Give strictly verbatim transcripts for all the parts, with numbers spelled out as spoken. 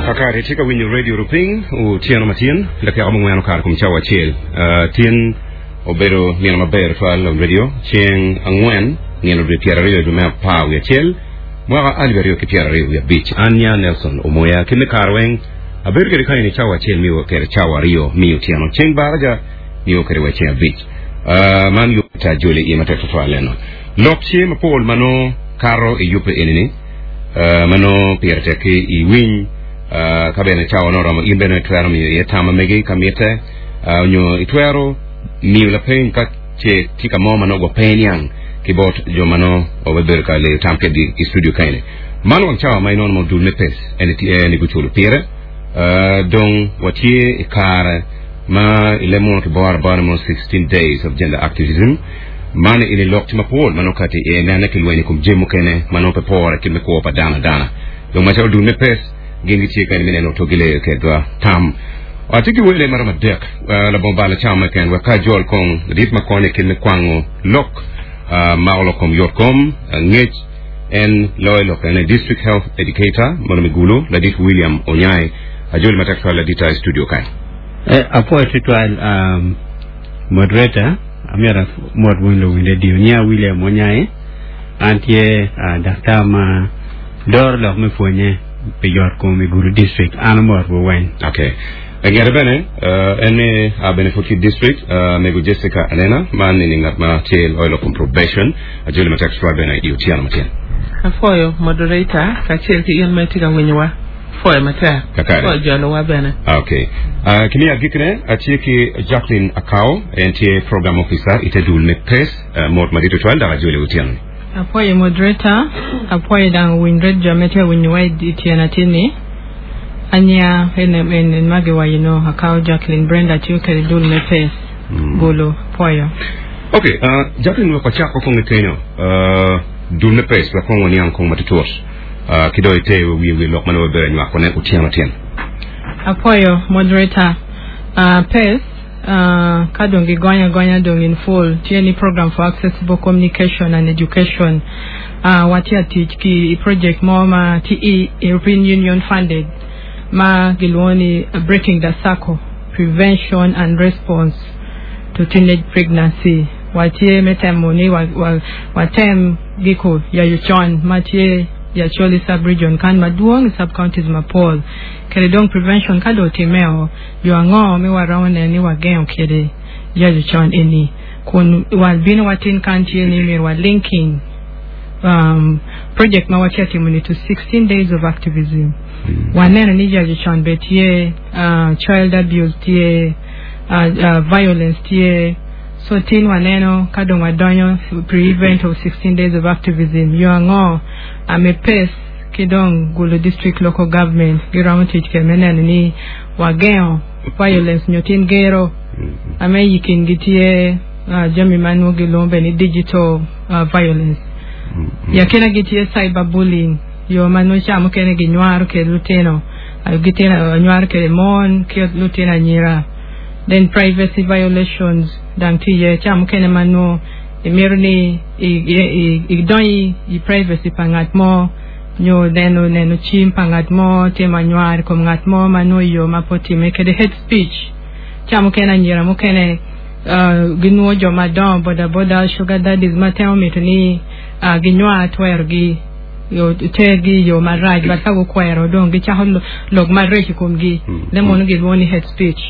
Kakare tye ka winyo radio ruping otyeno matin dakika mangwen okato kom cawa acel uh, tin obedo nino maber twal on radio ceng angwen nino dwe pyero aryo dwe me apar wiye acel mwaka alip aryo ki pyero aryo wiye abic an nya Nelson Omoya ki me kare weng abedo kede kany ni cawa acel miyo kede cawa aryo miyo otyeno ceng baraja miyo kede wa ceng abic uh, man yuta joli iye matek twatwal eno lok tye mapol mano kato i yubbe enini uh, mano pire tek ki i winy uh, ka bene cawa no oromo in bene itwero miyo iye tam ma megi ka mitte uh, onyo itwero miyo lapeny ka ce tye ka mo ma nongo pe niang ki bot jo ma nongo obedo ka leyo tam kedgi i studio kaeni man wang cawa ma inono mo dul me PACE eni tye ni guculo pire uh, dong watye i kare ma i leb muno kiboro abora mo sixteen days of gender activism man ini lok tye mapol ma nongo kati iye nene ki lweny i kom jami mukene ma nongo pe pore kit me kwo pa dano adana dong macalo dul me PACE gin gitye kani me neno to gileyo kedwa tam atye ki wele maromo adek uh, labongo balo cawa meken wek ka ajol kong ladit ma konyo i kit me kwango lok uh, mako lok kom yot kom uh, ngec en loyo lok ene district health educator mono me Gulu ladit William Onyai ajoli matek twal ladita i studio kae Eh, apwoyo tutwal um, moderator amyero mot wun luwiny radio nya William Onyai an tye uh, daktar ma doro lok me pwonye pi yot kom i Gulu district an omot weng Okay. Ngete bene uh, en me uh, bene pud ki district uh, mego Jessica Alena man ni ngat ma tye loyo lok kom probation ajoli matek twal bene i otyeno matin Apwoyo moderator kacel ki in ma itye ka winyowa pwoyo matek Kakare. pwoyo jolowa bene Okay. Uh, kimi agikne atye ki Jacqueline Akao en tye program officer ite dul me PACE uh, mot madito twal dok ajoli otyeno ni Apwoyo moderator, apwoyo dang winy radio me tye winyowa i tyena atini. Anya ene ene magi wayino akao Jacqueline Brenda tiyo kede dul me PACE. Mm. Gulu apwoyo. Okay, uh, Jacqueline wek wacako kong i kenyo uh, dul me PACE wek kong waniang kong matutut uh, ki do ite wiye wi lok mane wabedo nywako ne otyeno tyen Apwoyo moderator. Uh, PACE uh, ka dong gigonyo agonya dong in full tye ni program for accessible communication and education uh, watye atic ki i project mo ma tye i European Union funded ma giluongo ni uh, breaking the circle prevention and response to teenage pregnancy watye me temo ni wa, wa, watem giko yayo con ma tye i Acholi sub-region kan madwong i sub-counties mapol kede dong prevention ka dong otimeo yo ango me waromo neno ni wagengo kede yayo con eni kun wabino watin kan tye ni myero wa linking um, project ma watye timo ni to sixteen days of activism waneno ni yayo con be tye uh, child abuse tye uh, uh, violence tye so tin waneno ka dong wadonyo pre-event of sixteen days of activism yo ango ame PACE ki dong Gulu district local government giromo tic kede me neno ni wagengo violence nyo tin gero ame i kingi tye uh, jami ma nongo giluongo be ni digital uh, violence yakina gitye cyber bullying yo ma nongo ca mukene ginywaro kede lutino uh, gitino nywaro kede mon ki lutino anyira then privacy violations dang tye iye ca mukene ma nongo imito ni idonyo i privacy pa ngat mo nyo neno neno cim pa ngat mo timo anywar i kom ngat mo ma nongo yo ma pe otime kede hate speech ca mukene anyira mukene uh, ginwo jo madongo boda boda sugar daddies ma temo mito ni uh, ginywar twerogi yo tergi i yo marac but ka gukwero dong gicako lok marac i komgi le mono gilwongo ni hate speech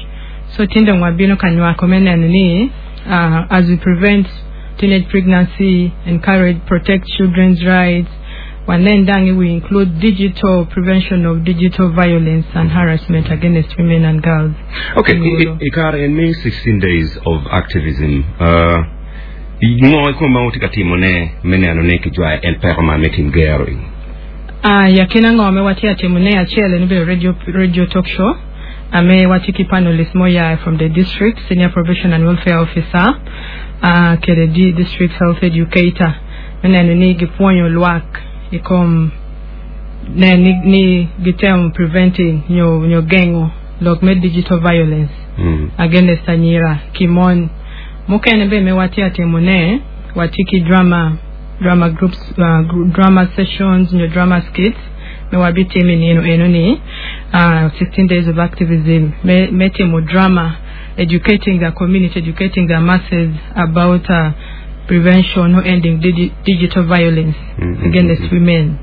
so tin dong wabino ka nywako me neno ni uh, as we prevent teenage pregnancy encourage protect children's rights wanen dang we include digital prevention of digital violence and harassment against women and girls Okay, i, i, i kare en me sixteen days of activism uh, ngo i ma utye ka timone me neno ni kijwayo en peko man me tim gero i Ah, yakina ngo me watye atimo ne acel en obedo radio, radio talk show ame watye ki panelist mo ya from the district senior probation and welfare officer uh, kede di district health educator me neno ni gipwonyo lwak i kom ne ni, ni gitemo preventing nyo nyo gengo lok me digital violence mm. against anyira ki mon mukene be me watye atimo ne watye ki drama drama groups uh, group, drama sessions nyo drama skits me wabitimo i nino eno ni uh, sixteen days of activism me, me timo drama educating the community, educating the masses about uh, prevention or ending digi digital violence Mm, mm, against mm. women.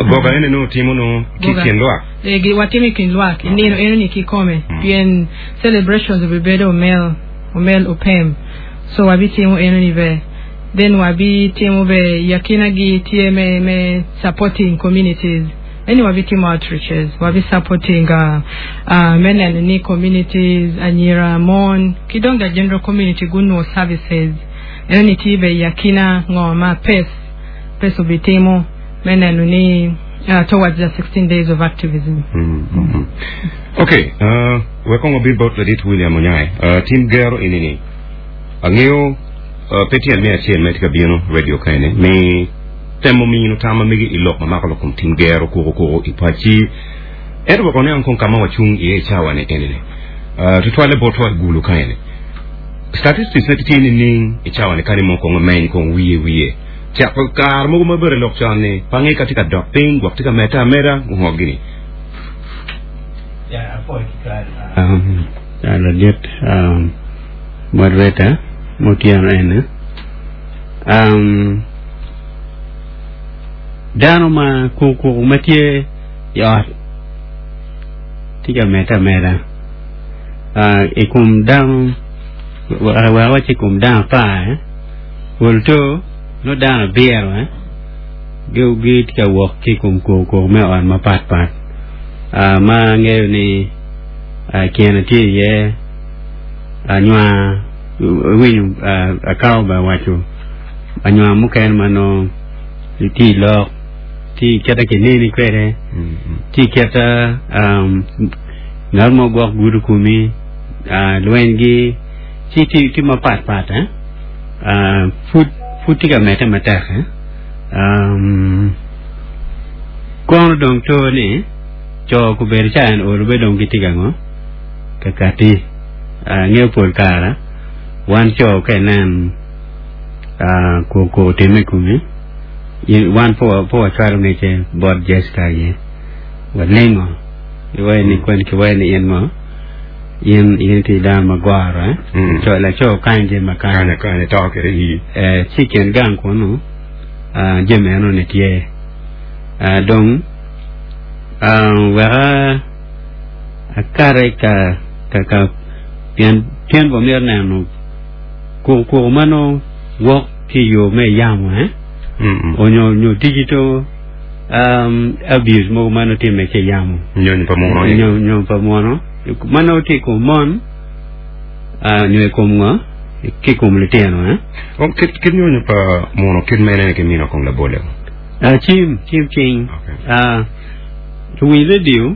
Goga ene no timo no Goga. ki kin lwak. Eh, gi- watimo i kin lwak nino eno ni kikome Mm. pien celebrations obibedo omel omel opem so wabitimo eno ni be then wabitimo be yakina gi tye me, me supporting communities eni wabitimo outreaches wabi supporting uh, uh, men and ni communities anyira mon ki dong the general community gunwo services eno ni tye be yakina ngo ma pes pes obitimo me neno ni uh, towards the sixteen days of activism. Mm, mm, mm. Okay, uh, wek obin bot ladit William Onyai. Uh, tim gero inini. Ang'eyo uh, pe tyen me acel ma itye ka bino radio kaeni mi temo mino tama migi i lok ma mako lok kom tim gero kuko kuko i paci ento wek oniang kong kama wacung iye i cawa ni enini. Uh, tutwalle botwa i Gulu kaeni. Statistics ne tye nining i cawa ni kani mo kong omeny kong wiye wiye. Cako kare mogo maber i lok con ni pange ka tye ka dok piny gwok tye ka medde ameda ngo gini. Yeah, um, ladit um, moderator mutyeno ene um, dano ma kuku ma tye i ot tye ka medde ameda uh, i kom dano wek wac i kom dano apar eh? Pol to no dano abiro eh? gi gi tye ka wok ki i kom kuku me ot mapat pat uh, ma angeyo ni uh, kine tye iye anywar winyo uh, akao ba waco anywar mukene ma no tye i lok tye keta kineni kwede Mm, mm. tye keta um, ngat mo gwok gudo komi uh, lwenygi ci tye tye mapat pat eh? uh, pud pud tye ka medde matek eh? um, kono dong to ni co kubedo ca en olo be dong gitye ka ngo ka kati uh, ngeo pol kara wan co ka inen uh, ko ko time komi i- wan po po wacwalo ngece bot Jessica ye walingo iwaye ni kwen ki waye ni in mo in in ti dano magwaro eh Mm. co laco kany je makany Kanya kanya to kere i. eh ci kin gang kunu uh, jami eno ni tye uh, dong uh, weka akare ka ka ka pien pien bo myero neno kuku kuku mano wok ki yo me yamo eh Mm, mm. onyo nyo digital um, abuse mogo mano time ke yamo Nyonyo pa muno. nyo nyo pa muno mano tye i kom mon uh, nyo i kom ngo ki i kom litino eh Oh, kit kit nyonyo pa muno kit mene ki mino kong labole. Uh, cim cim cing Okay. uh, luwiny radio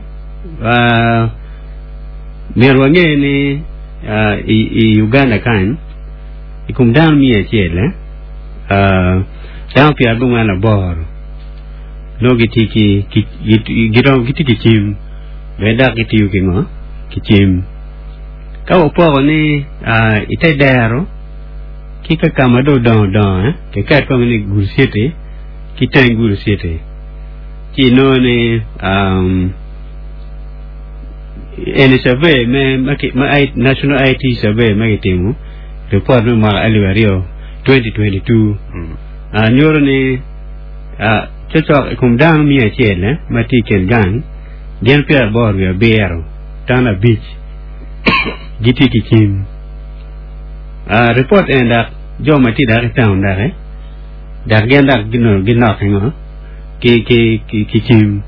uh, myero wange ni uh, i, i Uganda kany i kom dano miya acel eh? uh, dano pyerabongwen aboro nongo gitye ki ki gi- girom gitye ki cim bene dok gitiyo ki ngo ki cim ka wapoko ni uh, ite dero ki ka kama dong odongo dongo eh? Kiket kong ni Gulu City ki teng Gulu City ci inongo ni um, eni survey me ma, ki, ma I, National I T survey ma kitimo report me mwaka alip aryo twenty twenty-two Mm. uh, nyuto ni uh, cocok i kom dano miya acel eh, ma tye i kin gang gin pyeraboro wiye abiro dano abic gitye ki cim uh, report en dak jo ma tye dak i town dak eh, dak gin dak gino ginok ngo ki ki ki, ki cim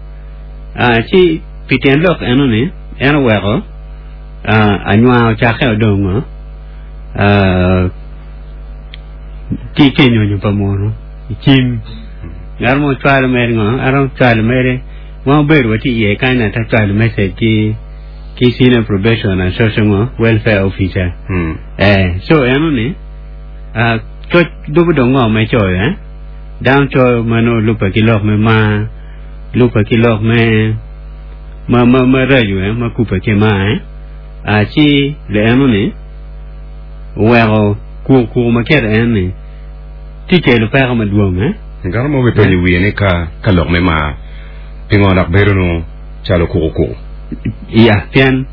uh, ci pi tyen lok eno ni en oweko uh, anywar ocakke odongo uh, ki ki nyonyo pa muno i cim ngat mo cwalo mere ngo arom cwalo mere ma obedo watye iye kany ata cwalo message ki ki senior probation and social ngo welfare officer Mm. eh so eno ni uh, coc dubu dong ngo ma icoyo eh dano coyo mano lupe ki lok me mar lupe ki lok me ma ma ma raco eh ma kupe ki mar eh uh, ci le eno ni oweko kuku kuku ma kete en ni tye kelo peko madwong eh Ngano mo be penyo wiye ni ka ka lok me mar pingo dok bedo no calo kuku kuku. Ya, pien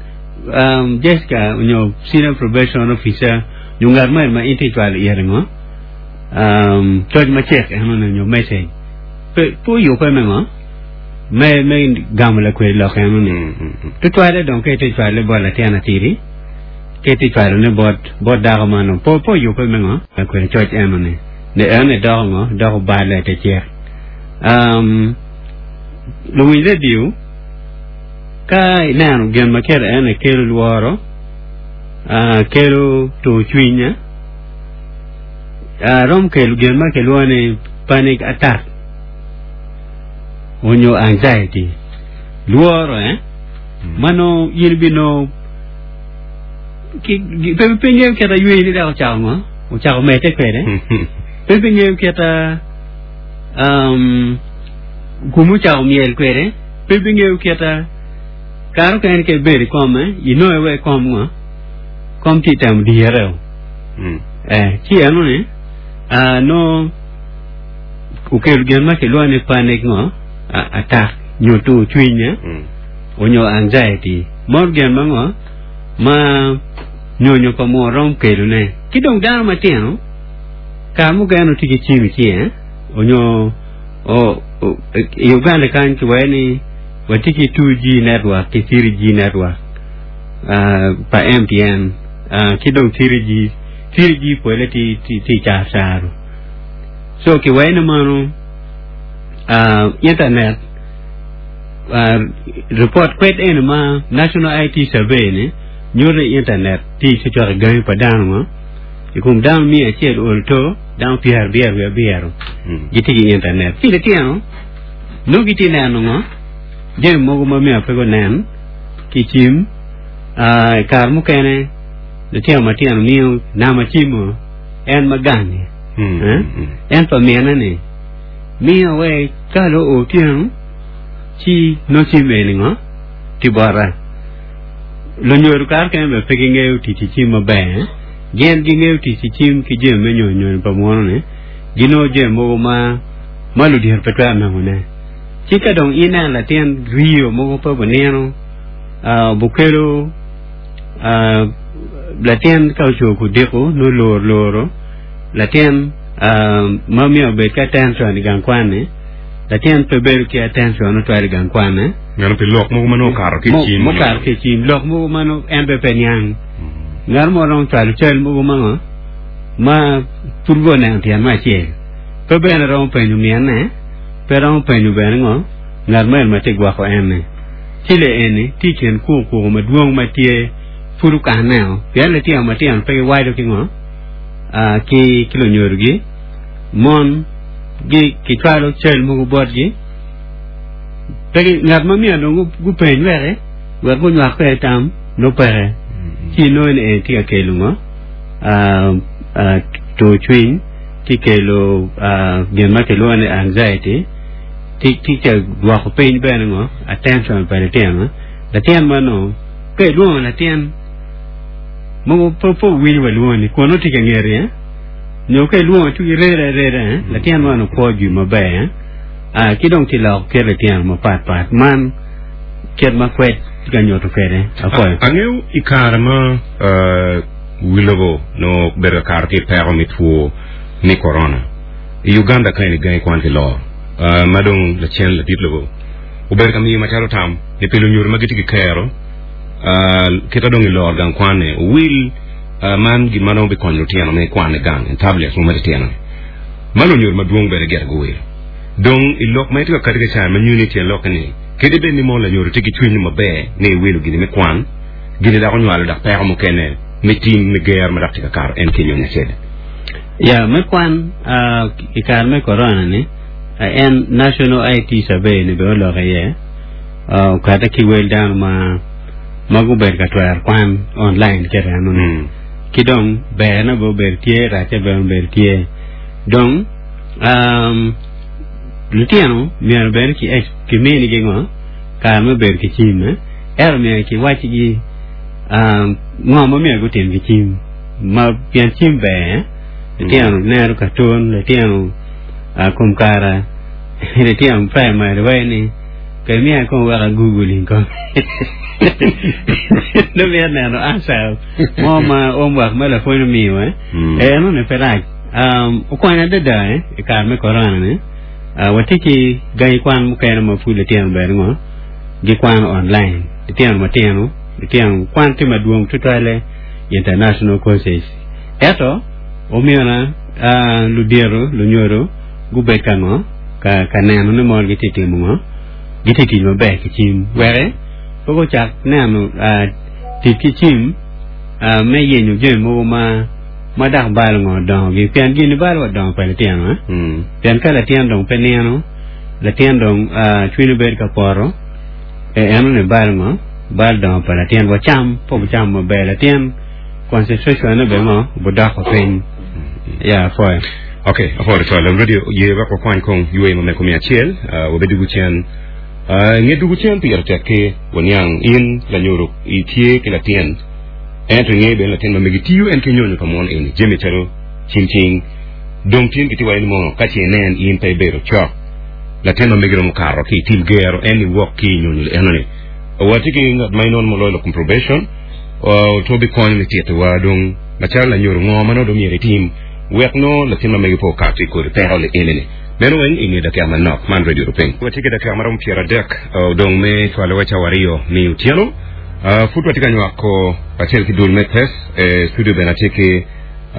um, Jessica onyo senior probation officer nyo ngat mo ma in tye cwalo ire ngo um, coc macek eno ni nyo message pe pe oyubbe me ngo me me gamo lakwed lok eno ni Mm, mm, mm. tutwale dong ka itye cwale bot latin atidi ka itye cwalone bot bot dako mano po po oyubbe me ngo lakwed coc eno ni ne eno ni doko ngo doko bale te cek um, luwiny radio ka ineno gin ma kelo ene kelo lworo uh, kelo tur cwiny uh, rom kelo gin ma kilwongo ni panic attack onyo anxiety lworo eh mano in bino ki ki- pe pe ngeyo keta yweyi ni dok ocako ngo ocako medde kwede pe pe ngeyo keta um, kuma ocako myel kwede pe pe ngeyo keta kare okene ka ibedo i kom eh, inongo iwe kom ngo kom tye temo dire o Mm. eh ci eno ni ah, no okelo gin ma kilwongo ni panic ngo a- attack nyo tur cwiny eh, Mm. onyo anxiety moro gin ma ngo ma nyonyo pa moo rom kelone ki dong dano matino kare mukene tye ki cim i cinge onyo o, o, i Uganda kany kiwaco ni watye ki two G network ki three G network uh, pa M T N uh, ki dong three G three G pole ti ti ti caro caro so kiwaco ni mano uh, internet uh, report kwed eno ma National I T Survey ni nyuto ni internet tye ci cwako gangi pa dano ngo i kom dano mia acel olo to dano pyerabiro wiye abiro Mm. gitye ki internet ci litino nongo gitye neno ngo jami mogo ma myero pe gunen ki cim uh, i kare mukene litino matino miyo nama cimo en ma gangi Mm. eh? Mm. En pa mine ni miyo we ka lo otyeno ci no cim eni ngo ti bota lunyodo kare kene bene pe gingeyo tic ki cim maber eh? Gin gingeyo tic ki cim ki jami me nyonyo pa muno ni ginongo jami mogo ma ma ludito pe twero nongone ci ka dong ineno latin rio mogo pe bonino uh, bukelo uh, latin ka oco kudiko no loro loro latin uh, ma miyo obed ki attention i gang kwan-ni latin pe bedo ki attention otwero i gang kwan-ne. Ngano pi lok mogo ma nongo okato ki Mo- cim. Mukato ki cim lok mogo ma nongo en be pe niang Mm. ngat mo romo cwalo cal mogo ma ngo ma pud bo neno tyen me acel pe bene romo penyo mine pe romo penyo bene ngo ngat mo en ma tye gwoko en-ni ci le eni tye i kin kukuku madwong ma tye pud okaneo pien litino matino pe giwaco ki ngo ah, ki ki lunyodogi mon gi kicwalo cal mogo botgi pe gi- ngat ma myero dong gu- gupeny weke wek gunywak kwede tam nongo peke Mm. ci inongo ni en tye ka kelo ngo ah, ah, tur cwiny tye kelo ah, gin ma kilwongo ni anxiety tye tye ka dwoko piny bene ngo attention pa litino latin ma nongo ka ilwongo latin mogo pe pe owinyo wa lwongo ni kun nongo tye ka ngeti eh? Nyo ka ilwongo ci irede areda eh? Latin man okwo jwi maber eh? Ah, ki dong ti loko kit litino mapat pat man kit ma kwed tye ka nyuto kwede akoyo. Angeyo i kare ma uh, wi lobo no bedo ka kato ki i peko me two me corona i Uganda ka eni gangi kwan ki loro uh, ma dong lacen ladit lobo obedo ka miyo macalo tam ni pi lunyodo ma gitye ki kero uh, kita dong i loro gang kwan-ni owil uh, man gin ma nongo bikonyo lutino me kwan i gang tablets mo matitino ma lunyodo madwong bene gire guwilo dong i lok ma itye ka kati ka caa ma nyuni tyen lokke ni kadi bed ni mo lanyodo tye ki cwiny maber ni iwilo gini me kwan gini dok onywalo dok peko mukene me tim me ger ma dok tye ka kato en ki nyonyo acel. Ya me kwan uh, i kare me corona ni uh, en National I T Survey ni bene oloko iye uh, okate ki wel dano ma ma gubedo ka twero kwan online kete eno ni Mm. Ki dong berne be obedo tye racce bene obedo tye dong um, lutino myero bene ki kiminigi ngo kare me bedo ki cim eh? Ento myero kiwacigi um, ngo ma myero gutim ki cim ma pien cim ber eh? Litino neno cartoon litino uh, kom kara litino primary waci ni Kay miya kong wek googling ko. No miya neno answer mo ma homework ma lapwony omiyo eh. Mm. Eh no ne pe rac. Um okonyo adada eh i kare me corona ni. Uh, watye ki gangi kwan mukene ma pud litino bene ngo gikwano online. Litino matino, litino kwan tye madwong tutwale international courses. Eto omiyo na uh, ludiro lunyodo gubed ka ngo ka, ka neno ni mon gitye timo ngo gitye tic maber ki cim weke pe gucak neno uh, tic ki cim uh, me yenyo jami mogo ma ma dok balo ngo dongogi pien gini balo wa dongo pa litino eh? Mm. Pien ka latin dong pe nino latin dong uh, cwinye bedo ka poto e eno ni balo ngo balo dongo pa latin wa cam po cam maber latin concentration ne be ngo budoko piny ya foy Okay, apwoyo twal radio ye wek wakwany kong yweyo ma meko mia acel uh, wabedo gucen uh, nge dugu cen pire tek ki waniang in lanyodo itye ki latin ento inge bene latin ma megi tiyo en ki nyonyo pa mon eni jami calo cing cing dong tin kiti wa ni mono ka ce inen in pe ibedo cok latin ma megi romo karo ki tim gero en iwok ki nyonyo eno ni watye ki ngat ma inon moloyo lok kom probation uh, to bi konyo me titowa dong macalo lanyodo ngo ma nongo dong myero itim wek no latin ma megi po okato i kodi peko li eni ni meno weng i nge dakika manok man radio rupiny watye ki dakika maromo pyero adek uh, dong me cwalo wa cawa aryo mi otieno uh, pud watye ka nywako kacel ki dul me PES eh, studio bene atye ki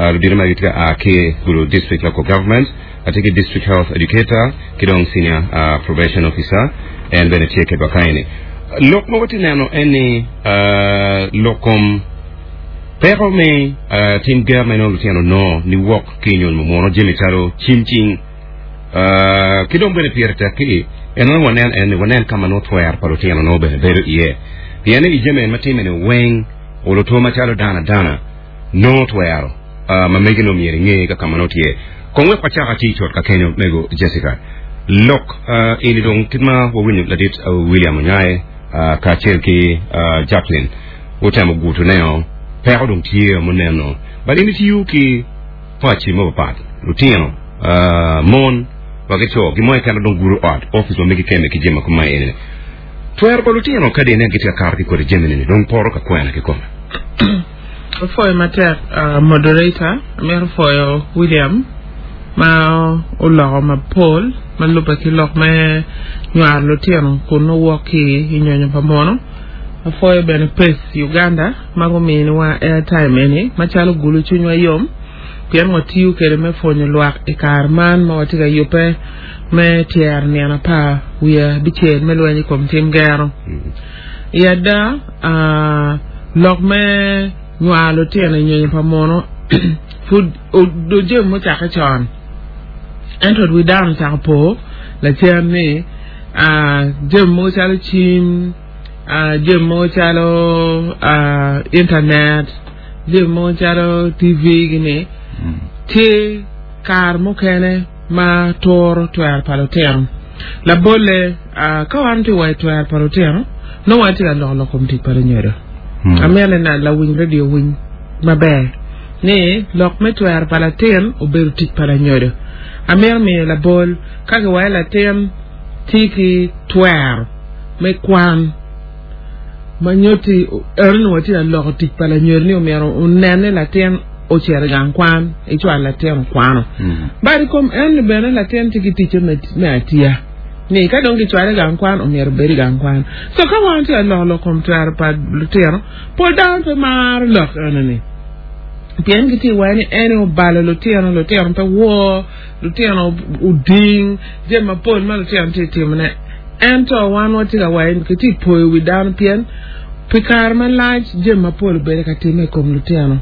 uh, ludito ma gitye ka a ki Gulu district local government atye ki district health educator ki dong senior uh, probation officer en bene tye kedwa kaeni lok ma watye neno en ni uh, lok kom peko me uh, tim ger ma inongo lutino no ni wok ki nyonyo muno jami calo cim cing uh, ki dong bene pire tek ki en nongo wanen en ni wanen ka ma nongo twer pa lutino nongo bene bedo iye pien ni i jami en ma time ni weng olo two macalo dana dana nongo twero uh, ma megi no myero ing'e kaka ma nongo tye kong wek wachak ati cot ka kenyo mego Jessica lok uh, ini dong kit ma wawinyo ladit uh, William Onyae uh, kacel ki uh, Jacqueline utemo guto neo peko dong tye muneno but in itiyo ki paci mapapat lutino uh, mon wa ki co gimo keken dong guro ot office ma megi keme ki jami kuma eni twero pa lutino ka dine gitye ka kato ki kodi jami ni dong poro ka kwena kikome Apwoyo matek uh, moderator amito pwoyo William ma oloko mapol ma lubbe ki lok me nywaro lutino kun nowok ki i nyonyo pa muno apwoyo bene PES Uganda ma guminiwa airtime eni macalo gulu cwinywa yom pien watiyo kede me pwonyo lwak i kare man ma watye ka yubbe me tyero nino apar wiye abicel me lweny i kom tim gero i ada uh, lok me nywaro lutino i nyonyo pa muno pud o- jami mucake con ento wi dano ocako po lacen ni uh, jami mogo calo cim uh, jami mogo calo uh, internet jami mogo calo TV gini tye kare mukene ma turo twero pa lutino labolle uh, ka wan tye wa i twero pa lutino nongo watye ka loko lok kom tic pa lunyodo Mm. amito ni na lawiny radio winy maber ni lok me twero pa latin obedo tic pa lanyodo amito miyo labol ka kiwaco latin tye ki twero me kwan ma nyutti eno ni watye ka loko tic pa lanyodo ni omyero onen ni latin ocito i gang kwan icwalo latin okwano Mm. bad i kom en ni bene latin tye ki ticce me, me atiya ni ka dong gicwale i gang kwan omyero obed i gang kwan so ka wan tye ka loko lok kom twero pa lutino pol dano pe maro lok eno ni pien gitye waco ni en obalo lutino lutino pe wor lutino oding jami mapol ma lutino tye timone ento wan watye ka waco kitye poyo wi dano pien pi kare malac jami mapol obedo ka timme i kom lutino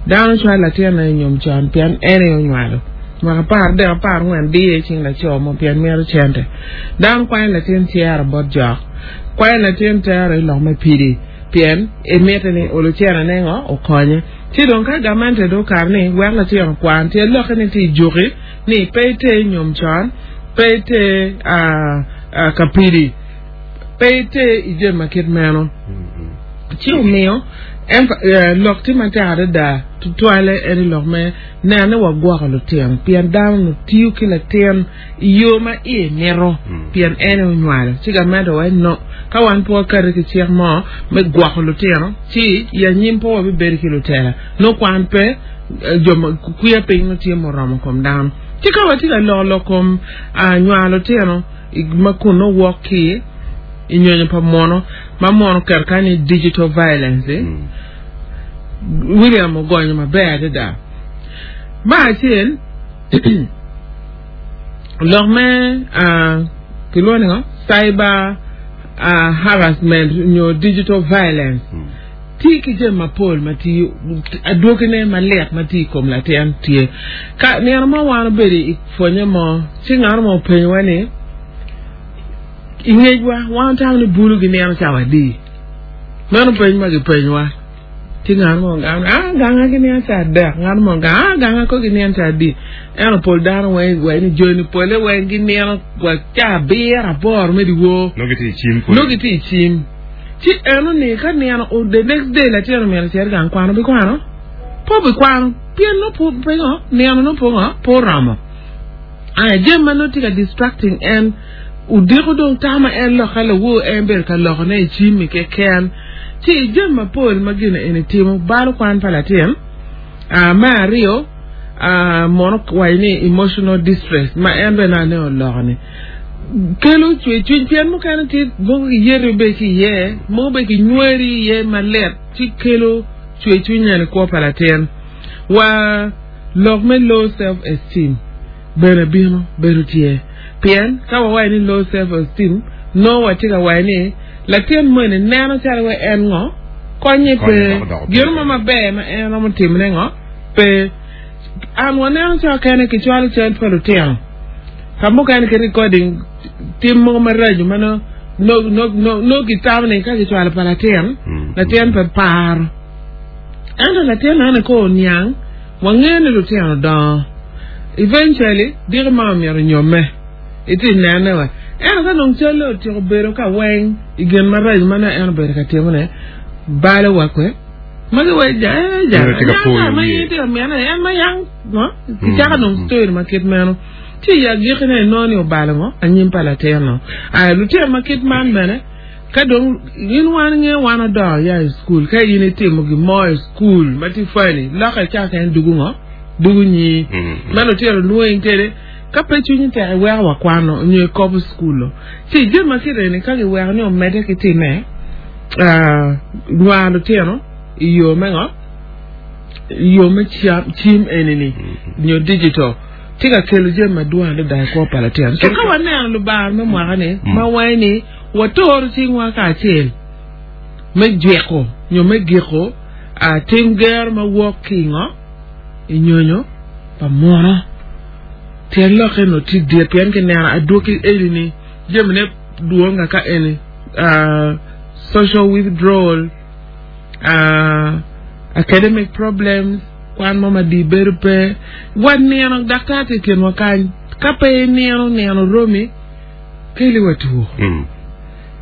dano cwalo latin i nyom con pien en aye onywalo mwaka apar adek apar angwen diye i cing laco mo pien mito cente dano kwanyo latin cero bot jok kwanyo latin tero i lok me pidi pien emite ni olo cene ngo okonye ci dong ka gamente do okato ni wek latin okwan tye lokke ni tye i juki ni pe iter nyom con pe iter uh, uh, ka pidi pe iter i jami ma kit meno ci omiyo Lok tye matek adada tutwalle en lok me neno ni wagwoko lutino pien dano no tiyo ki latin i yo ma iye mito pien en onywalo ci gamente owaco no ka wan pe wakati ki cik mo me gwoko lutino ci i anyim pe wabibedo ki lutela nongo kwan pe jo kwiya piny nongo tye muromo kom dano ci ka watye ka loko lok kom nywalo lutino ma kun nongo wok ki i nyonyo pa muno ma muno oketo kany ni digital violence William ogonyo maber adada me acel lok me kilwongo ni ngo cyber harassment nyo digital violence tye ki jami mapol ma tye adwogine malit ma tye i kom latin tye ka nino mo wan obedo i pwonye mo ci ngat mo openyowa ni i ngecwa wan watamo ni bulu ginino cawa adi meno peny ma gipenyowa ci ngat mo ogamo ni ah ganga ginino cawa adek ngat mo ogamo ah ganga ko ginino cawa adi ento pol dano weng waci ni joni pole weng ginino wa cawa abiro aboro me dyewor Nongo gitye i cim pud. nongo gitye i cim ci eno ni ka nino the next day latin omyero ocit gang kwano bikwano pe obikwano pien nongo pingo nino nongo pe ngo pe oromo aya jami ma nongo tye ka distracting en odiko dong tama en loka lawor en bedo ka lokone i cim keken ci jami mapol ma gin eni timo balo kwan pa latin me aryo mono waco ni emotional distress ma en bene ane oloko ni kelo cwercwiny pien mukene tye mogo giyeti be ki iye mogo be kinywari iye malit ci kelo cwercwiny nene i kwo pa latin wa lok me low self esteem bene bino bedo tye pien ka wawaco ni low self esteem nongo watye ka waco ni latin moni neno calo wa en ngo konye pe gino mo maber ma en romo timone ngo pe an waneno cawa kene kicwalo cal pa lutino ka mukene ki recording tim mogo maraco ma nongo gitamo ni ka gicwalo pa latin latin pe paro ento latin ene ko oniang wangeyo ni lutino dongo eventually diki ma omyero onyomme iti nene wa ento ka dong calle otyeko bedo ka weng i gin maraco ma nongo en obedo ka timone balo wa kwe magi wa ja ja ma in itye ka mine en ma yang kicako dong story ma kit meno ci i agikine inongo ni obalo ngo anyim pa latin-no aya lutino ma kit man bene ka dong in wan ngeyo wan odongo ya i skul ka in itimo gin mo i skul ma tye funny lokke cako en dugu ngo dugu nyi ma lutino lwongi kede ka pe cwinyi tek iweko wa kwano nyo ikobo skul ci jami ma kit eni ka giweko ni omedde ki time nywaro lutino i yo me ngo i yo me cim eni-ni nyo digital tye ka kelo jami madwong adada i kwo pa latin so ka waneno lubanga me mwaka-ni ma waco ni watoro cingwa kacel me jwiko nyo me giko tim gero ma wok ki ngo i nyonyo pa muno tyen lokke no tye dit pien kineno adwogi eni jamine dwong ka eni social withdrawal academic problems kwan mo ma di bedo pe wa nino daktar tye i kinwa kany ka pe inino nino romi keli wa two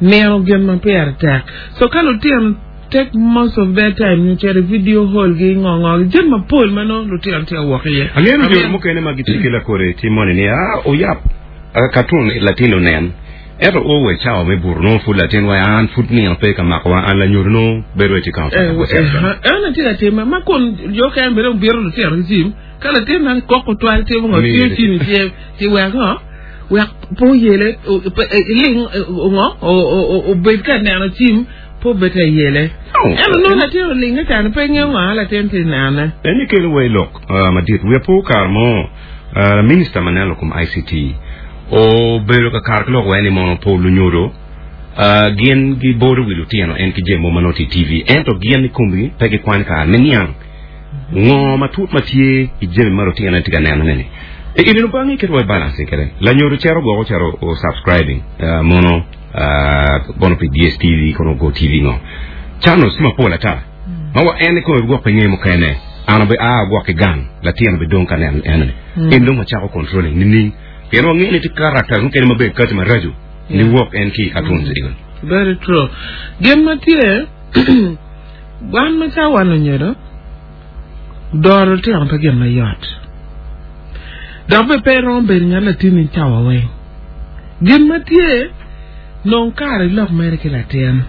nino gin ma pire tek so ka lutino take most of their time nyo cito i video hall gi ngo ngo jami mapol ma nongo lutino tye ka wok iye Angeyo jo mukene ma gitye ki lakore timo ni ah oyap cartoon latin onen ento o we cawa me buto nongo pud latin wa an pud nino pe ka mako wa an lanyodo nongo bedo tye ka en tye ka time ma kun jo kene bene obito lutino ki cim ka latin man koko twal timo ngo tiyo cim i cinge ci wek ngo wek pe oyele iling ngo obed ka neno cim pe obed ka yele ento nongo latin olinge cani pe ngeyo ngo latin tye nene en kelo wa i lok madit wiya po kare mo minista ma neno kom I C T obedo ka kare ki lok wa ni mono pol lunyodo gin gibodo wi lutino en ki jami mo ma nongo tye i T V ento gin i komgi pe gikwanyo kare me niang ngo matut ma tye i jami ma lutino tye ka nenone ni ineno bangi keto wa i balance kede lanyodo cero gwoko cero o subscribing mono bono pi D S T V kono Go T V ngo channels tye mapol ata ma wa en kome gwok pe nge mukene an obe a gwok ki gang latin obe dong ka neno enoni en dong wacako controlling nining pien wang'eyo ni tye characters mukene maber kati maraco ni wok en ki i cartoons igo very true gin ma tye Wan macalo wan lunyodo, doro lutino pe gin mayot. Dok bene pe iromo bedo ngat latinni cawa weng. Gin ma tye, nong kare ilok mere ki latin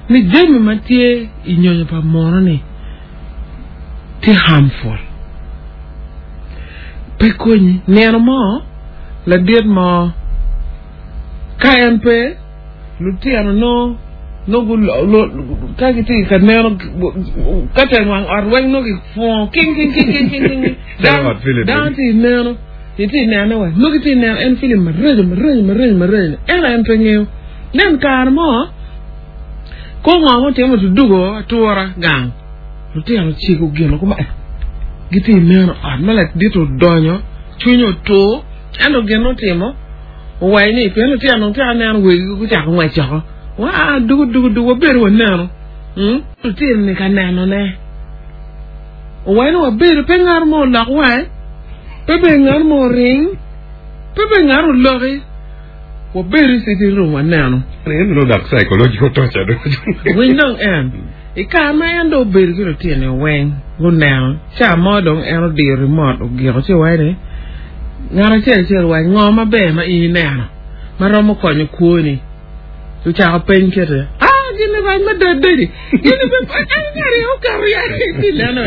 ni jami ma tye i nyonyo pa muno-ni tye harmful. Pe konyi. Nino mo, ladit mo, ka en pe, lutino nongo nongo ka gitye ka neno ka teng wang ot weng nongo gipungo king king king king king king dano tye neno itye nene wa nongo gitye neno en film maraco maraco maraco maraco ento en pe ngeyo nen kare mo ko ngo mo timo tudugo atura gang lutino ociko gino kuma gitye neno ot ma ladit odonyo cwinye otur ento gin otimo owaco ni pien lutino dong tye ka neno wegigi gucako ngwec oko waa dugu dugu dugu wabedo waneno lutino ni ka nenone owaco ni wabedo pe ngat mo olok wange pe bene ngat mo oring pe bene ngat oloki wabedo i sitting room waneno winy dong en i kare ma en dong obedo ki lutino weng guneno ca mo dong en odiyo remote ogiko ci owaco ni ngat acel acel owaco ngo maber ma in ineno ma romo konyo kwoni ocako peny kete ah gini rac mada daddy gini pe en ngati oketo ya ti neno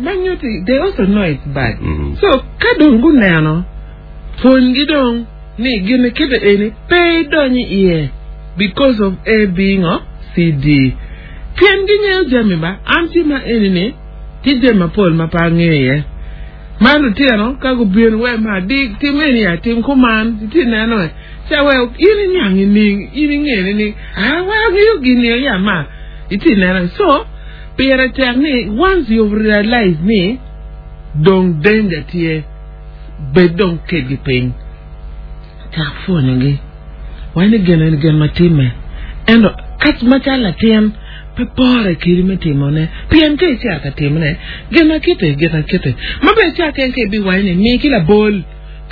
ma nyuti they also know it's bad Mm. so ka dong guneno pwonygi dong ni gini kite eni pe idonyo iye because of A B ngo C D pien gingeyo jami ba an tye ma eni ni tye jami mapol ma pe angeyo iye ma lutino ka gubino we ma di tim eni ya tim kuman itye neno e ca we in iniang ining in ingene ni ah wa angeyo gini ya ma itye neno so pire tek ni once you realize ni dong danger tye bed dong kedgi piny cak pwonyogi wai ni gin eni gin ma timme ento ka macalo latin pe pore kidi me timone pien ka icito ka timone gin ma kite gin ma kite ma bene ca ken ka ibiwaco ni mi ki labol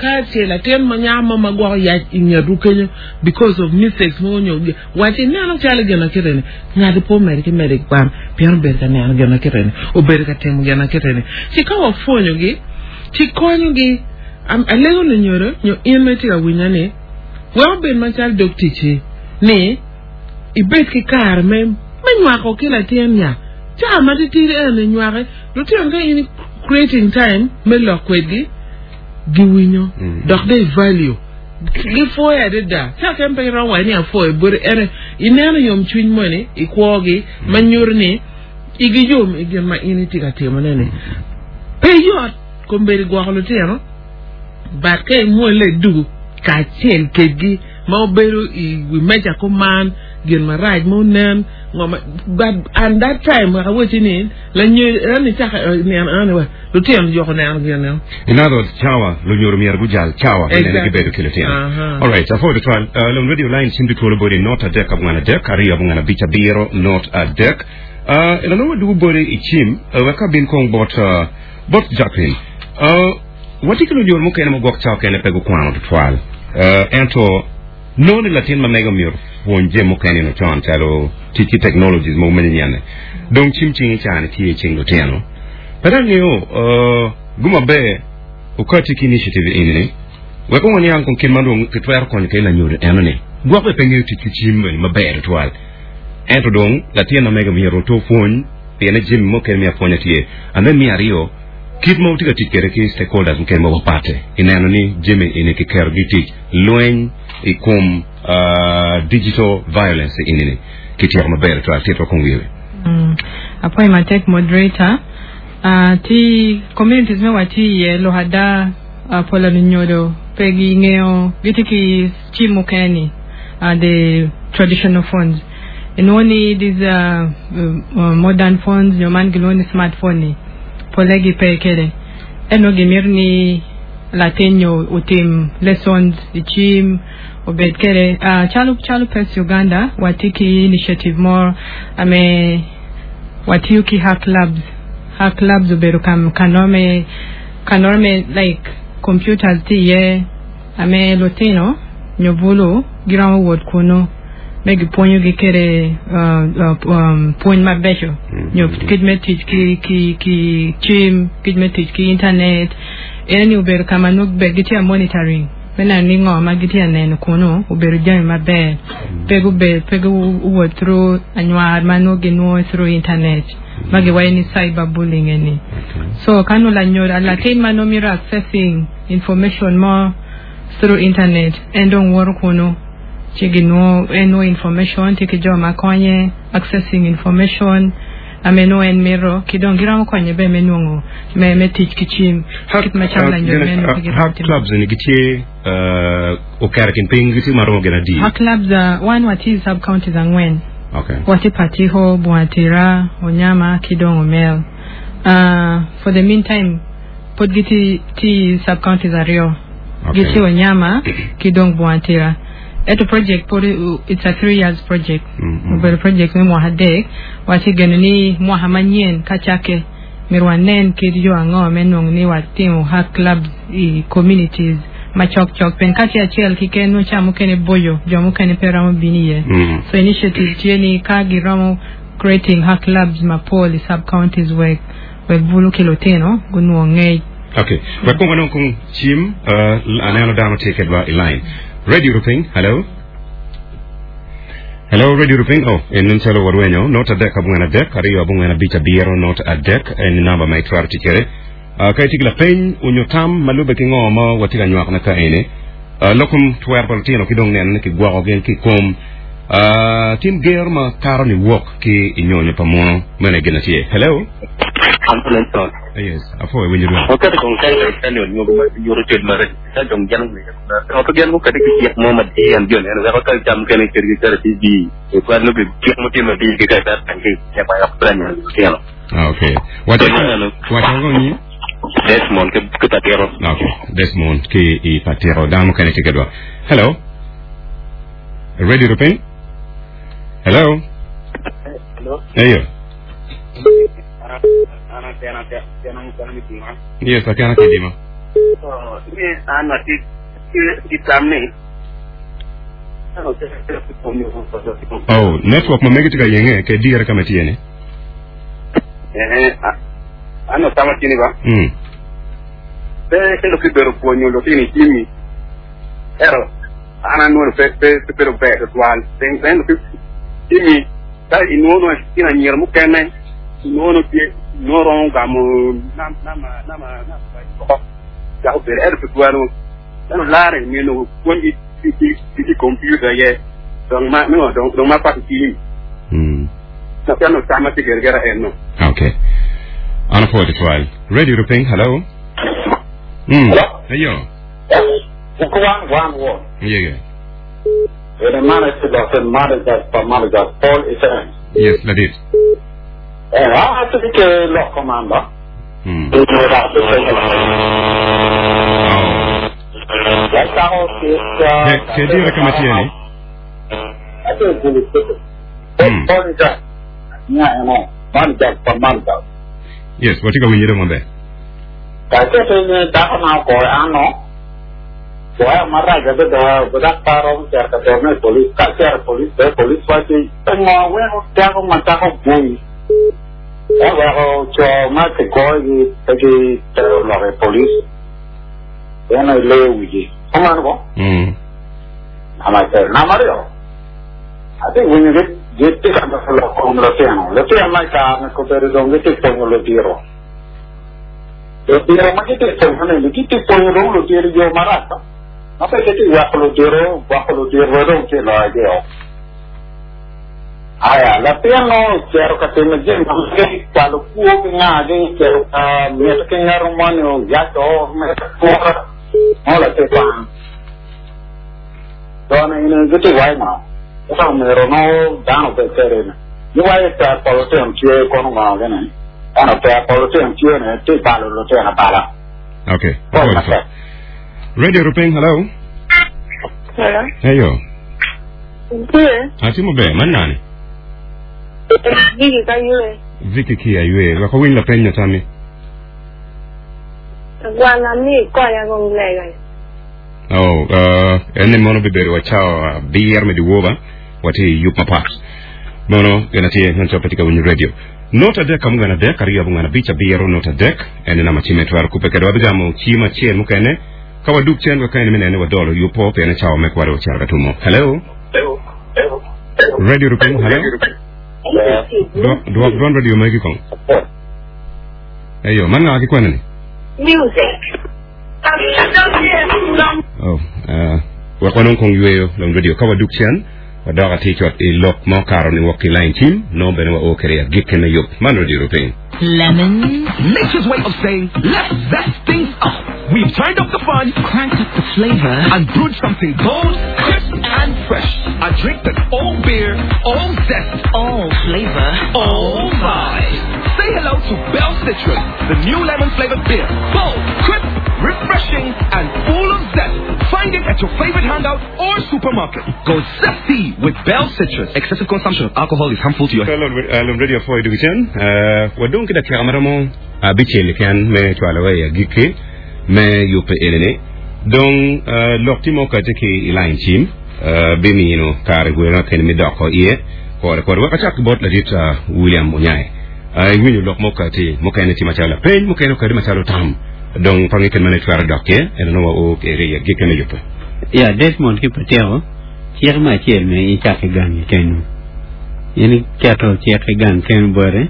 ka ce latin ma nyako mo ma gwoko yac i ngetwu kenyo because of mistakes mo nyo wac ineno calo gin ma kite ni ngati pe omedi ki medi ki kwan pien obedo ka neno gin ma kite ni obedo ka timo gin ma kite ni ci ka wapwonyogi ci konyogi Am- alego lunyodo nyo in ma itye ka winya ni wek obed macalo dog ticci ni ibed ki kare me me nywako ki latin nya ca ma titidi en inywake lutino ka in creating time me lok kwedgi giwinyo Mm. dok they value gipwoyo adada ca ken pe iromo waco ni apwoyo bote ento ineno yomcwiny moni i kwogi ma nyuto ni igi yom i gin ma in itye ka timone ni pe yot kombeddi gwoko lutino but ka imwole idugu kacel kedgi ma obedo i wi meja kuman gin marac mo nen ngo ma but and that time wek awacci ni lanyo en icako neno eni wa lutino joko neno gin no In other words, cawa lunyodo myero gujal cawa Exactly. inene gibedo ki lutino. Aha. All right, afo twal uh, lon radio line cim twolo bode not adek abong'wen adek ariyo abong'wen abic abiro not adek uh, ila nongo wadugu bode i cim uh, wek abin kong bot uh, bot Jacqueline uh, watye ki lunyodo mukene ma gwok cawa kene pe gukwano tutwal uh, ento nongo ni latin ma mege myero pwony jami mukene no con calo tic ki technologies mogo manyenyene dong cim cing i cani tye i cing lutino pe angeyo uh, guma ber okati ki initiative ini ni wek waniang kong kit ma dong kitwero konyo kede lanyodo eno ni gwok be pe ngeyo tic ki cim bene maber tutwal ento dong latin ma mege myero oto pwony piene jami mukene me apwonya tye and then me aryo kit ma watye ka tic kwede ki stakeholders mukene ma wapate ineno ni jami eni kikerogi i tic lweny i kom uh, digital violence ini ni kityeko maber tutwal titwa kong wiye Mm. Apwoyo matek moderator. Uh, ti communities me watye iye lok ada uh, pola lunyodo pe gingeyo gitye ki cim mukene ni uh, the traditional phones inwongo ni these uh, uh, modern phones nyo man gilwongo ni smartphone ni pole gipe kede eno gimito ni latin nyo otim lessons i cim obed kede uh, calo calo PES Uganda watye ki initiative mo ame watiyo ki hack labs hack labs obedo kam kanome kanome like computers tye iye ame lutino nyo bulu giromo wot kunu Me gipwonyo gi kede uh, uh, um, pwony mabeco nyo kit me tic ki ki ki cim kit me tic ki internet en ni obedo ka ma nongo be gitye a monitoring me neno ni ngo ma gitye a neno kunu obedo jami maber pe gubed pe guwot through anywar ma nongo ginwongo through internet ma giwaco ni cyber bullying eni so ka nongo lanyodo latin ma nongo mito accessing information mo through internet en dong woto kunu ci ginwongo en nongo information tye ki jo ma konye accessing information ame nongo en mito ki dong giromo konye be me nwongo me me tic ki cim kit macalo lanyodo meno pe giromo Hak timo. clubs ni gitye uh, oketo kin piny gitye maromo gin adi Hak clubs uh, wan watye i sub counties angwen okay watye Patiho, Bunga Tira, Onyama ki dong Omel. Uh, for the meantime pod gitye tye sub counties aryo Okay. gitye Onyama ki dong Bunga Tira. Eto project pod uh, it's a three years project. Mm, mm. Obedo project me mwaka adek watye geno ni mwaka manyien ka cakke myero wanen kit yo ango me nwongo ni watimo hak clubs i communities macok cok pien ka tye acel keken nongo ca mukene boyo jo mukene pe romo bino iye Mm. so initiative tye ni ka giromo creating hak clubs mapol i sub counties wek wek bulu ki lutino gunwong ngec Okay. Wek kong wanong kong cim uh, aneno dano tye kedwa i line. Radio Rupiny, hello. Hello, Radio Rupiny. Oh, en nen calo warwenyo. Not adek abongwen adek, ariyo abongwen abic abiro, not adek, en namba ma itwero tic kwede. Uh, ka itye ki lapeny, onyo tam ma lubbe ki ngo ma watye ka nywako na ka eni. Uh, lokum twer pa lutino ki dong neno ni kigwoko gin ki kom. Uh, tim ger ma karo ni wok ki i nyonyo pa muno mene gin tye. Hello. Ambulance. Yes, afo winjo dwa. Wakati kong kai kai ni ngo ma yoro ted mara ta jong jan ngi ko to jan ko kadi ki tiek mo ma di an jon en ko ka jam kene ker gi kare TV e kwa no bi tiek mo ti ma di ki ka ta tan ki ya pa ya plan ya tieno Ah, okay. Wacho wacho ngo ni Desmond ke ke patero Okay, Desmond ki i patero dano mukene tye kedwa. Hello. Radio Rupiny? Hello. Hello. Eyo. Ana tena tena mukana mitima. Yes, akana kidima. So, ni ana ti ti tamne. Oh, network ma megi tika yenge ke dire kama tiene. Eh, ano tama tini ba? Mm. Pe ke lo kibero puonyo lo tini kimi. Ero ana nuono pe pe pe pero pe twal. Ten ten lo kimi ta inuono ina nyir mukene inuono tie noro gamo nam nam nam nam ko ya ko ero pe twalo. Ano lare mi no kuonji ti ti ti computer ye. Dong ma no dong dong ma pa ti. Mm. Na piano tama ti gergera enno. Okay. Ana po twal. Radio Rupiny, hello. Mm. Hello? Eyo. One, one, one. Yeah, yeah. The manager of manager for manager Paul is a Yes, that is. Eh, I have to be a law commander. Mm. Oh. Oh. Ke ke dire kama tiene? Mm. Manager for manager. Yes, watika winyire maber. Kasi dako na ko ano. Wah, marah jadi dah bedak tarong cer ke terne polis, kak cer polis, be polis wajib. Tengok, weh, dia ko mata ko bui. Eh, weh, ko cho ma ke ko gi tagi ter lo ke polis. Ya no le uji. Koma no? Mm. Ama ter na mario. Ate when you get get te ka lo ko lo te no. Le te mai ka me ko per dong te pongo lo tiro. Lo tiro ma che te pongo ne che te pongo lo tiro io marata. Ma perché ti guardo lo tiro, guardo lo tiro non che lo io. Aya, la piano chiaro che te me gen che quando può che ngade chiaro a me che ngaro mano ya to me ko no la te pa. Dona in che ti vai ma. Ora me ro no dano per terreno. Io vai per polo te un tie con una che ne. Ana per polo te un tie ne te palo lo te na pala. Okay. Poi Apo ma te. Radio Rupiny, hello. Hello. Eyo. Ndiyo. Atimo be, man nani? Vicky ka yue. Vicky kia yue, wako winy la penyo tami. Gwana mi koya gong lega. Oh, uh, ene mono biberi wachao uh, bier me diwoba. Watye i yub mapat. Mono gin atye man cok pe tye ka winyo radio. Not adek angwen adek aryo abongwen abic abiro not adek en namba cim me twero kubbe kwede wabigamo cim acel mukene ka wadug cen wek ka en me nene wadolo yubo pien cawa me kwade ocito ka tumo. Hello. Radio Rupiny, hello. Dwok dwok dwon radio magi kong. Eyo, man nga ki kwene ni? Music. Oh, uh, wek wanong kong yweyo long radio ka wadug cen wadok atir cot i lok ma okaro ni wok ki line cim nongo bene wa o kede agikki me yub man radio Rupiny. Lemons. Nature's way of saying, let's zest things up. We've turned up the fun Cranked up the flavor. and brewed something bold, crisp, and fresh. A drink that's all beer, all zest, All flavor. all vibes. Say hello to Bell Citrus, the new lemon flavored beer. Bold, crisp, refreshing, and full of zest. Find it at your favorite hangout or supermarket. Go zesty with Bell Citrus. Excessive consumption of alcohol is harmful to your health. Lon radio four dugu cen uh, wadong ki dakika maromo abicel keken me cwalo wa i agikki me yubbe enini dong uh, lok tye ma okati ki i line cim uh, bimino kare gweno kene me doko iye kore kore wek acak ki bot ladit uh, William Onyai uh, iwinyo lok ma okati mukene tye macalo lapeny mukene okati macalo tam dong pangi ken mane twero dok iye eno nongo wa o kere i agikki me yubbe. Ya Desmond ki Patyeko cik me acel me icak ki gangi kenyo in iketo cik ki gang kenyo bote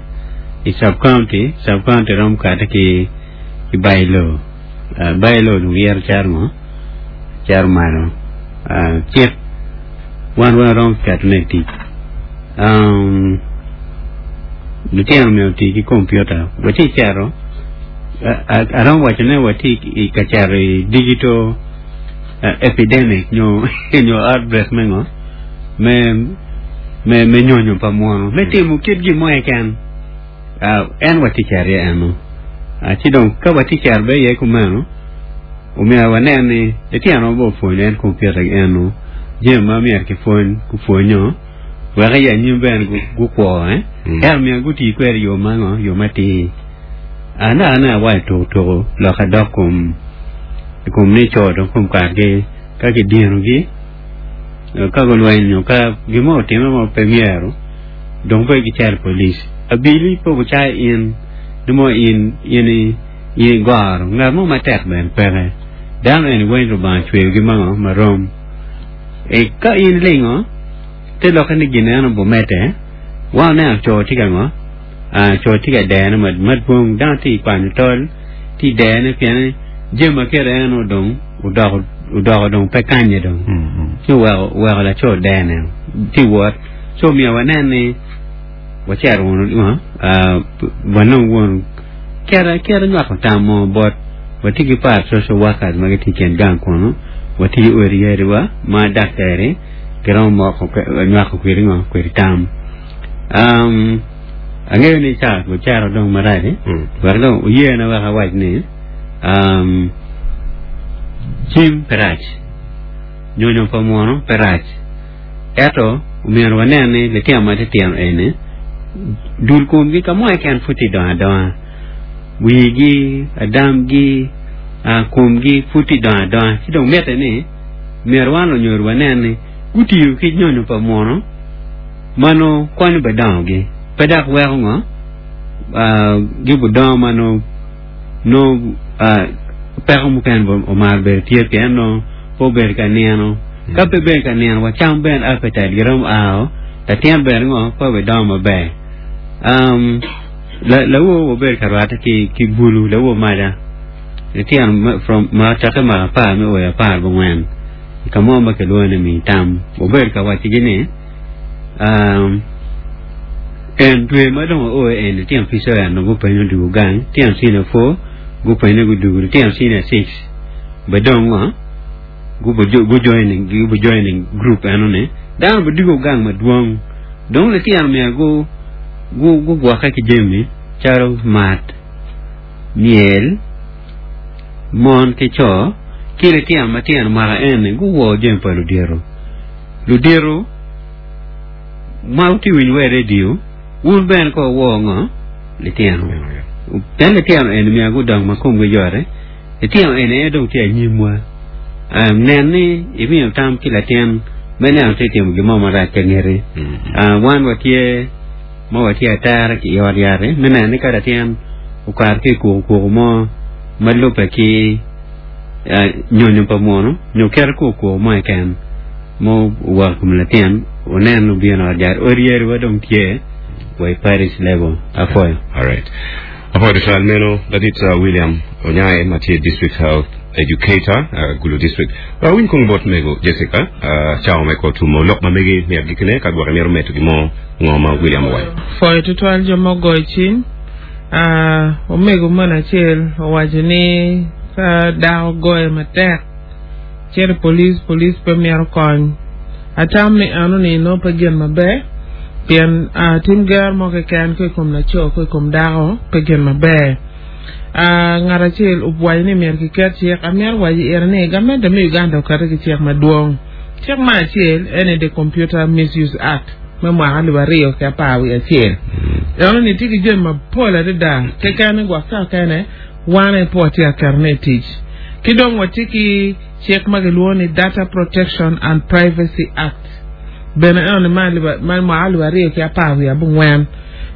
i sub county sub county romo kate ki ki bylaw uh, bylaw dong yero caro ngo caro malo uh, cik wan wan romo ketone i tic um, lutino myero oti ki computer watye cero aromo waco ne watye i ka cero i digital uh, epidemic nyo nyo outbreak me ngo me me me nyonyo pa muno me timo kit gin mo keken uh, en watye cero iye eno uh, ci dong ka watye cero be iye kumeno omyero wanen ni litino bo pwonyo en computer eno jami ma myero kipwony kupwonyo wek i anyim bene gukwo eh Mm. ento myero guti kwede yo ma ngo yo matir ana ana awaco tuko tuko lok adok kom i kom ni co dong kom kargi ka kidinogi ka gulwenyo ka gin mo otime mo pe myero dong pe gicero police abili pe gucayo in ni mo in in i in igoro ngat mo matek bene peke dano eni weng Lubanga ocweyogi mango marom e ka in ilingo te lokke ni gin eno bomete wan oneno co tye ka ngo ah, co tye ka dene ma- madwong dano tye ikwanyo tol tye i dene pien jami ma kite eno dong odoko odoko dong pe kanye dong ci oweko oweko laco dene tye wot so myero wanen ni wacito wunu uh, wanong wunu kera kera nywako tam mo bot watye ki par social workers ma gitye i kin gang kunu watye ki odi yadiwa ma daktari giromo moko nywako kwedi ngo kwedi tam um, angeyo ni ca gucero dong marac Mm. wek dong oyena wek awac ni um, cim pe rac nyonyo pa muno pe rac ento omyero wanen ni litino matitino eni dul komgi ka mo keken pud tye dongo adonga wigi adamgi uh, komgi pud tye dongo adonga ci dong mitte ni myero wan lunyodo wanen ni gutiyo ki nyonyo pa muno ma nongo konyo be dongogi pe dok weko ngo uh, gibudongo ma nongo nongo uh, peko mukene bo omaro bedo tye pien nongo pe obedo ka nino ka pe bedo ka nino wacam bene appetite giromo ao latin bene ngo pe obidongo maber um, la lawo obedo ka rwatte ki ki bulu lawo maca litino ma- from ma cakke mwaka apar me oyo apar bongwen ka mo ma kilwongo ni mi tam obedo ka wacigi ni um, en dwe ma dong oo en litino P seven dong gupenyo dugo gang litino senior four gupenyo gudugo litino senior six be dong ngo gubo gu joining gubo joining group eno ni dano bidugo gang madwong dong litino myero gu gu gugwokke ki jami calo mat myel mon ki co ki litino matino mwaka eni guwo jami pa ludito ludito ma wutye winyo wa i radio wun bene ko wuwo ngo litino pien litino eni myero gudong ma komgi yote litino eni aye dong tye anyimwa um, nen ni imiyo tam ki latin Me neno tye timo gin mo marac ka ngeti. Ah, wan watye ma watye atera ki i ot yat-ti me neno ni ka latin okato ki i kukukuku mo ma lubbe ki ah, nyonyo pa muno nyo keto kukuku mo keken ma owako i kom latin onen obino i ot yat oryeriwa dong tye wa i parish level apwoyo. Alright. Apwoyo tutwal meno ladit uh, William Onyae ma tye District Health Educator uh, Gulu District. Wawiny kong bot mego Jessica uh, cawa me ko tumo lok ma megi me agikine ka gwok imito medo gin mo ngo ma William owaco. Pwoyo tutwal jo ma ogoyo cim Ah, omego moni acel owaco ni ka dako goye matek cito i police police pe mito kony atam ni eno ni nongo pe gin maber pien ah, tim gero mo keken ko i kom laco ko i kom dako pe gin maber Ah, ngat acel owaco ni myero kiket cik amito waco ire ni gamente me Uganda oketo ki cik madwong cik me acel ene the Computer Misuse Act me mwaka alip aryo ki apar wiye acel eno ni tye ki jami mapol adada keken gwok ka kene wan aye pe watye ka ketone i tic ki dong watye ki cik ma kilwongo ni Data Protection and Privacy Act bene eno ni ma alip ma mwaka alip aryo ki apar wiye abongwen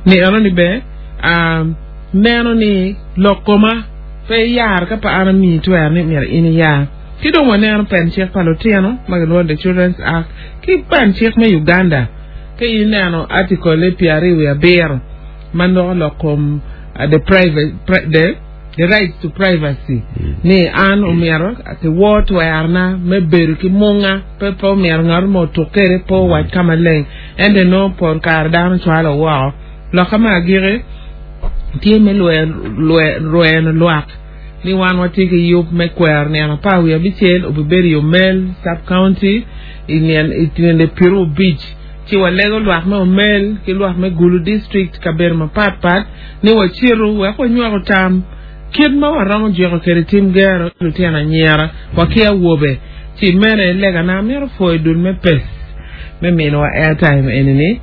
ni eno ni be um, neno ni lok koma pe iyaro ka pa an amiyi twero ni myero in iyar ki dong waneno pen cik pa lutino ma kilwongo the Children's Act ki pen cik me Uganda ka ineno article pyero aryo wiye abiro ma loko lok kom uh, the private pri, the the right to privacy ni an omyero kiwor twerona me bedo ki munga pe pe omyero ngat mo otuk kede pe owac ka maleng ento nongo pol kare dano cwalo woko loka me agiki tye me lweno lwak ni wan watye ki yub me kwero nino apar wiye abicel obibedo i Omel sub county i nino pyero abic ci walego lwak me Omel ki lwak me Gulu district kabedo mapatpat ni wacitu wek wanywako tam kit ma waromo jwiko kwede tim gero lutino anyira wa ki awobe ci mene legana amito pwoyo dul me PACE me minowa airtime enini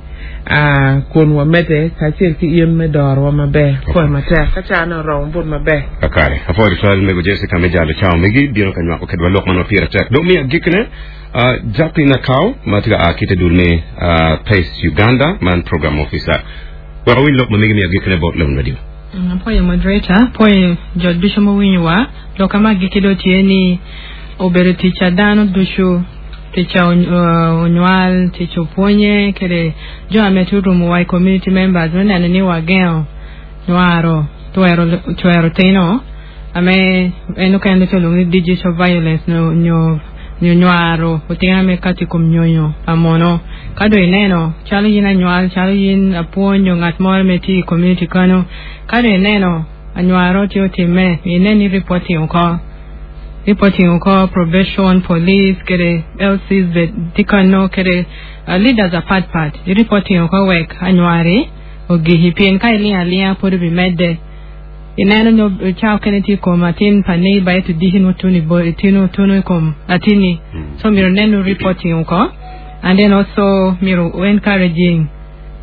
uh, kun wamedde kacel ki in me dorowa maber pwoyo matek ka cane oromo but maber Kakare. Apwoyo tutwal mego Jessica me jalo cawa megi bino ka nywako kedwa lok man ma pire tek. Dong mi agikine uh, Jacqueline Nakao ma tye ka a ki te dul me uh, PACE Uganda man program officer. Wek awiny lok ma megi mi agikine bot Lone Radio. Apwoyo moderator, apwoyo jo ducu mowinyowa lok ama agikki do tye ni obedo tic a dano ducu tic a onywal tic opwonye kede jo ame tye orumowa i community members me neno ni wagengo nywaro twero twero tino ame en okene tye olwongo ni digital violence nyo nyo nyo nywaro otino ame kati kom nyonyo pa mono ka dong ineno calo in anywal calo in apwony nyo ngat moro me tye i community kano ka dong ineno anywaro tye otimme inen ni reporting oko reporting oko probation police kede L Cs be tye kano kede uh, leaders apatpat i reporting oko wek anywari ogihi pien ka ilingo alinga pod obimedde ineno nyo cawa okene tye i kom atin pa neighbor ento dici nwo tuno i bo tino tuno i kom atini so myero neno reporting oko and then also myero encouraging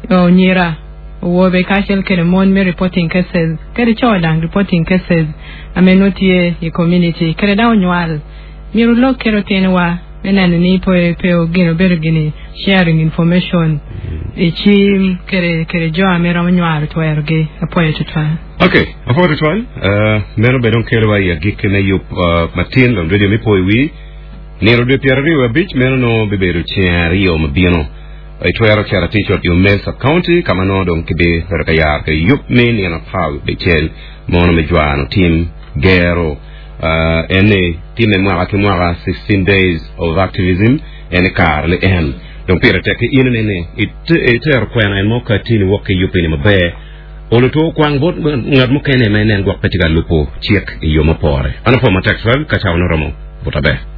onyira owobe kacel kede mon me reporting cases kede co dang reporting cases ame nwo tye i community kede dang onywal myero lok kede otinowa me neno ni pe pe gin obedo gini sharing information i cim kede kede jo ame romo nywaro twerogi apwoyo tutwal. Okay, apwoyo tutwal. Uh, meno bene dong kelowa i agikki me yub uh, matin Lone Radio mi po i wi nino dwe pyero aryo abic meno nongo bibedo ceng aryo mabino itwero cito atic ot i Omel sub county ka ma nongo dong kibibedo ka yaro ki yub me nino apar abicel mono me jwano tim gero uh, en ni time mwaka ki mwaka sixteen days of activism en i kare li en dong pire tek ki in nene itero kwena en mo ka tini wok ki yub ini maber olo to kwang bot ngat mukene ma inen gwok pe tye ka lubo cik i yo mapore an apwo matek twal ka cawa noromo but aber.